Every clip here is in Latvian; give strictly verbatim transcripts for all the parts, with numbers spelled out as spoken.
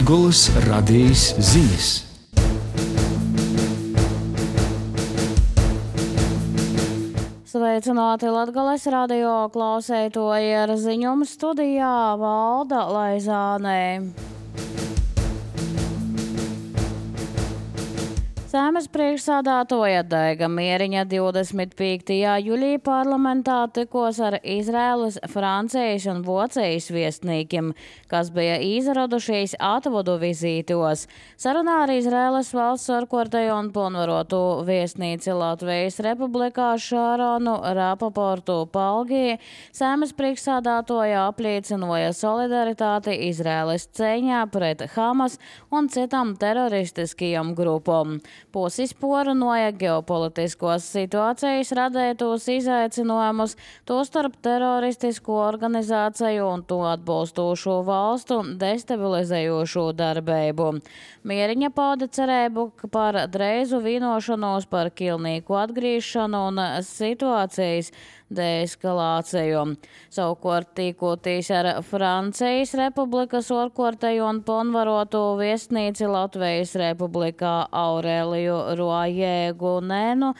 Latgoles radijas ziņas. Sveicināti Latgoles radio klausētoji, ar ziņumu studijā Valda Laizānē. Saeimas priekšsādātoja Daiga Mieriņa divdesmit piektajā jūlijā parlamentā tikos ar Izraēlas, Francijas un Vācijas viesnīkiem, kas bija izradušies atvodu vizītos. Sarunā ar Izraēlas valsts ārkārtējo un pilnvarotu viesnīci Latvijas Republikā Šāronu Rapaportu Palgī Saeimas priekšsādātoja apliecināja solidaritāti Izraēlas cīņā pret Hamas un citām teroristiskajām grupām. Puses porunāja ģeopolitiskos situācijas radētos izaicinājumus, tostarp teroristisku organizāciju un to atbalstošo valstu destabilizējošo darbību. Mieriņa pauda cerību par dreizu vienošanos par pilnīgu atgriešanu un situācijas deeskalāciju. Savukārt tīkoties ar Francijas Republikas ārkārtējo un pilnvarotu viesnīci Latvijas Republikā Aureliju Roajē-Gunēnu,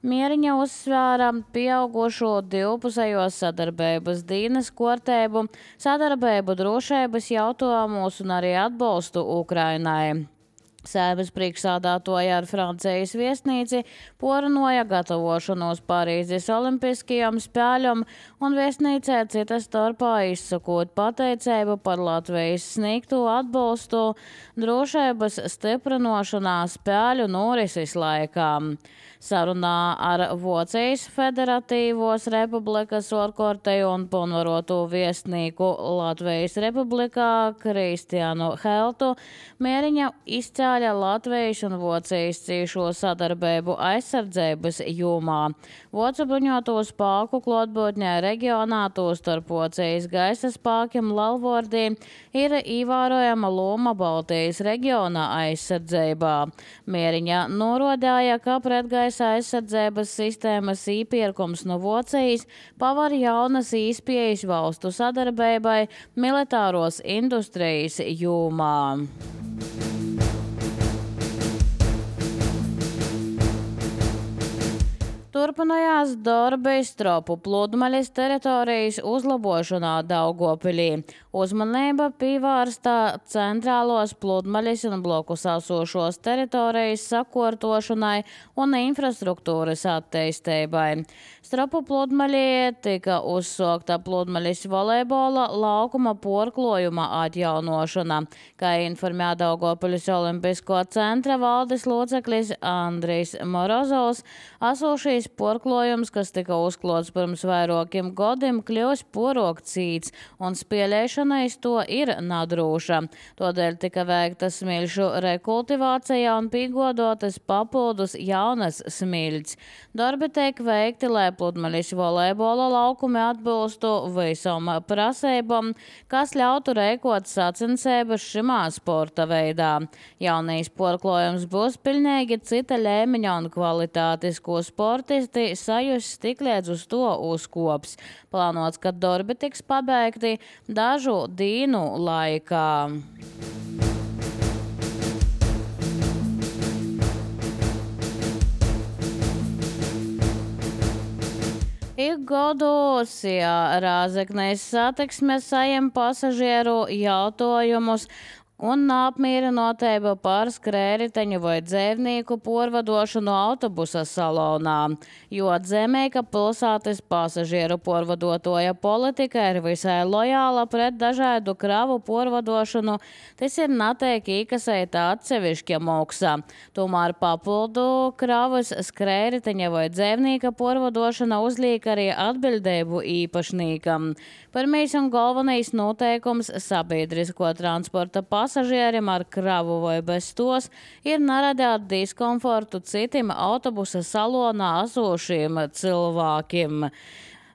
Mieriņa uzsvēra pieaugušo divpusējo sadarbības dīnes kārtību, sadarbību drošības jautājumos un arī atbalstu Ukrainai. Saeimas priekšsādātoja ar Francijas viesnīci porunāja gatavošanos Parīzes olimpiskajām spēļām un viesnīcē citas starpā izsakot pateicību par Latvijas sniegto atbalstu drošības stiprināšanā spēļu norises laikā. Sarunā ar Vācijas Federatīvos Republikas ārkārtējo un pilnvarotu viesnīku Latvijas Republikā Kristiānu Heltu Mieriņa izcēla Latvijas un Vācijas ciešo sadarbību aizsardzības jomā. Vācu bruņoto spēku klātbūtnē reģionā, tostarp Vācijas gaisa spēkiem Lalvordī, ir ievērojama loma Baltijas reģiona aizsardzībā. Mieriņa norādīja, ka pretgaisa aizsardzības sistēmas īpirkums no Vācijas pavar jaunas īspējas valstu sadarbībai militāros industrijas jomā. Turpinājās darbi Stropu pludmales teritorijas uzlabošanā Daugavpilī. Uzmanība pievērsta centrālos pludmales un blokus esošos teritorijas sakārtošanai un infrastruktūras attīstībai. Stropu pludmalī tika uzsākta pludmales volejbola laukuma porklojuma atjaunošana, kā informēja Daugavpilis Olimpisko centra valdes loceklis Andrijs Morozovs. Esošais porklojums, kas tika uzklots pirms vairākiem gadiem, kļūs porokcīts un spēlēšana iz to ir nadrūša. Todēļ tika veikta smilšu rekultivācija un pīgodotas papildus jaunas smilts. Darbi tiek veikti, lai pludmalis volejbola laukumi atbilstu visam prasībām, kas ļautu rēkot sacensības šimā sporta veidā. Jaunais porklojums būs pilnīgi cita līmeņa un kvalitātes, ko sportisti sajus tik līdz uz to uzkops. Plānots, ka darbi tiks pabeigti dažu dienu laikā. Ik gados, ja Rāzeknes satiksme sajem pasažieru jautājumus un apmierinotība par skrējriteņu vai dzēvnieku porvadošanu autobusa salonā, jo atzīmē, ka pilsētas pasažieru porvadotoja politika ir visai lojāla pret dažādu kravu porvadošanu, tas ir netiek īkasēta atsevišķa maksa. Tomēr papildu kravas skrējriteņa vai dzēvnieka porvadošana uzliek arī atbildību īpašniekam. Pirmais un galvenais noteikums sabiedrisko transporta pasažierim ar kravu vai bez tos ir neradīt diskomfortu citiem autobusa salonā esošiem cilvēkiem.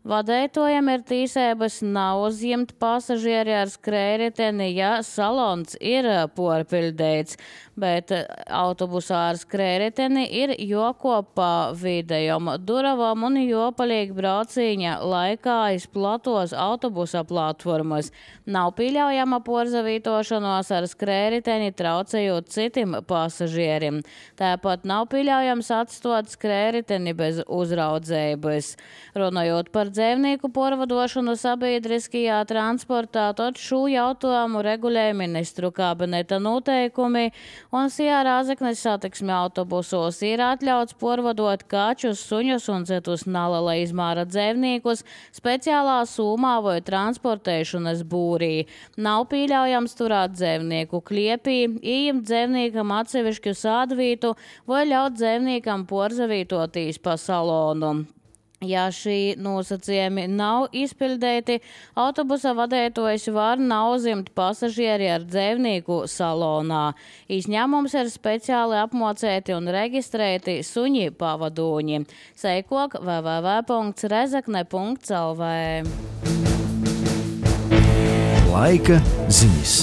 Vadētojam ir tīsēbas nav uzņemt pasažieri ar skrējriteni, ja salons ir porpiļdēts, bet autobusā ar skrējriteni ir jokopā vidējom duravom un jopalīgi braucīņa laikā izplatos autobusa platformas. Nav pieļaujama porzavītošanos ar skrējriteni traucējot citim pasažierim. Tāpat nav pieļaujams atstot skrējriteni bez uzraudzības. Runājot par dzēvnieku porvadošanu sabiedriskajā transportā, tad šo jautājumu regulē ministru kabineta noteikumi, un Sijā Rāzeknes satiksmi autobusos ir atļauts porvadot kačus, suņus un citus neliela izmēra dzēvniekus speciālā sūmā vai transportēšanas būrī. Nav pieļaujams turēt dzēvnieku kliepī, ieņemt dzēvniekam atsevišķu sādvītu vai ļaut dzēvniekam porzavītotīs pa salonu. Ja šī nosacījumi nav izpildēti, autobusa vadētojs var nauzimt pasažieri ar dzēvnieku salonā. Izņēmums ir speciāli apmocēti un reģistrēti suņi pavadoņi. Seikok w w w punkts rezekne punkts l v. Laika ziņas.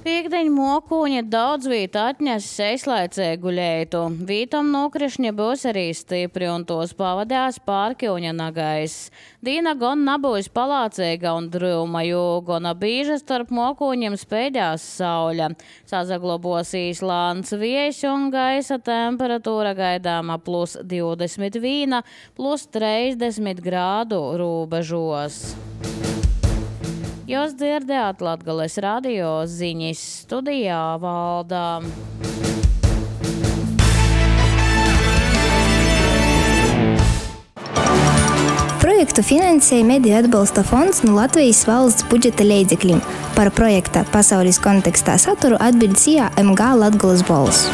Pīkdeņ mokūņi daudz vīt atņesis aizlaicēgu leitu. Vītam nokrišņi būs arī stipri un tos pavadās pārkiuņa nagais. Dīna gon nabūs palācēga un drūma, jo gona bīža starp mokūņiem spēļās sauļa. Sazaglobosīs lāns viejs un gaisa temperatūra gaidāma plus divdesmit viena, plus trīsdesmit grādu rūbežos. Jūs dzirdējāt Latgales radio ziņas, studijā Valdā. Projektu finansēja Mediju atbalsta fonds no Latvijas valsts budžeta līdzekļiem. Par projekta pasaules kontekstā saturu atbild Sijā M G Latgales balss.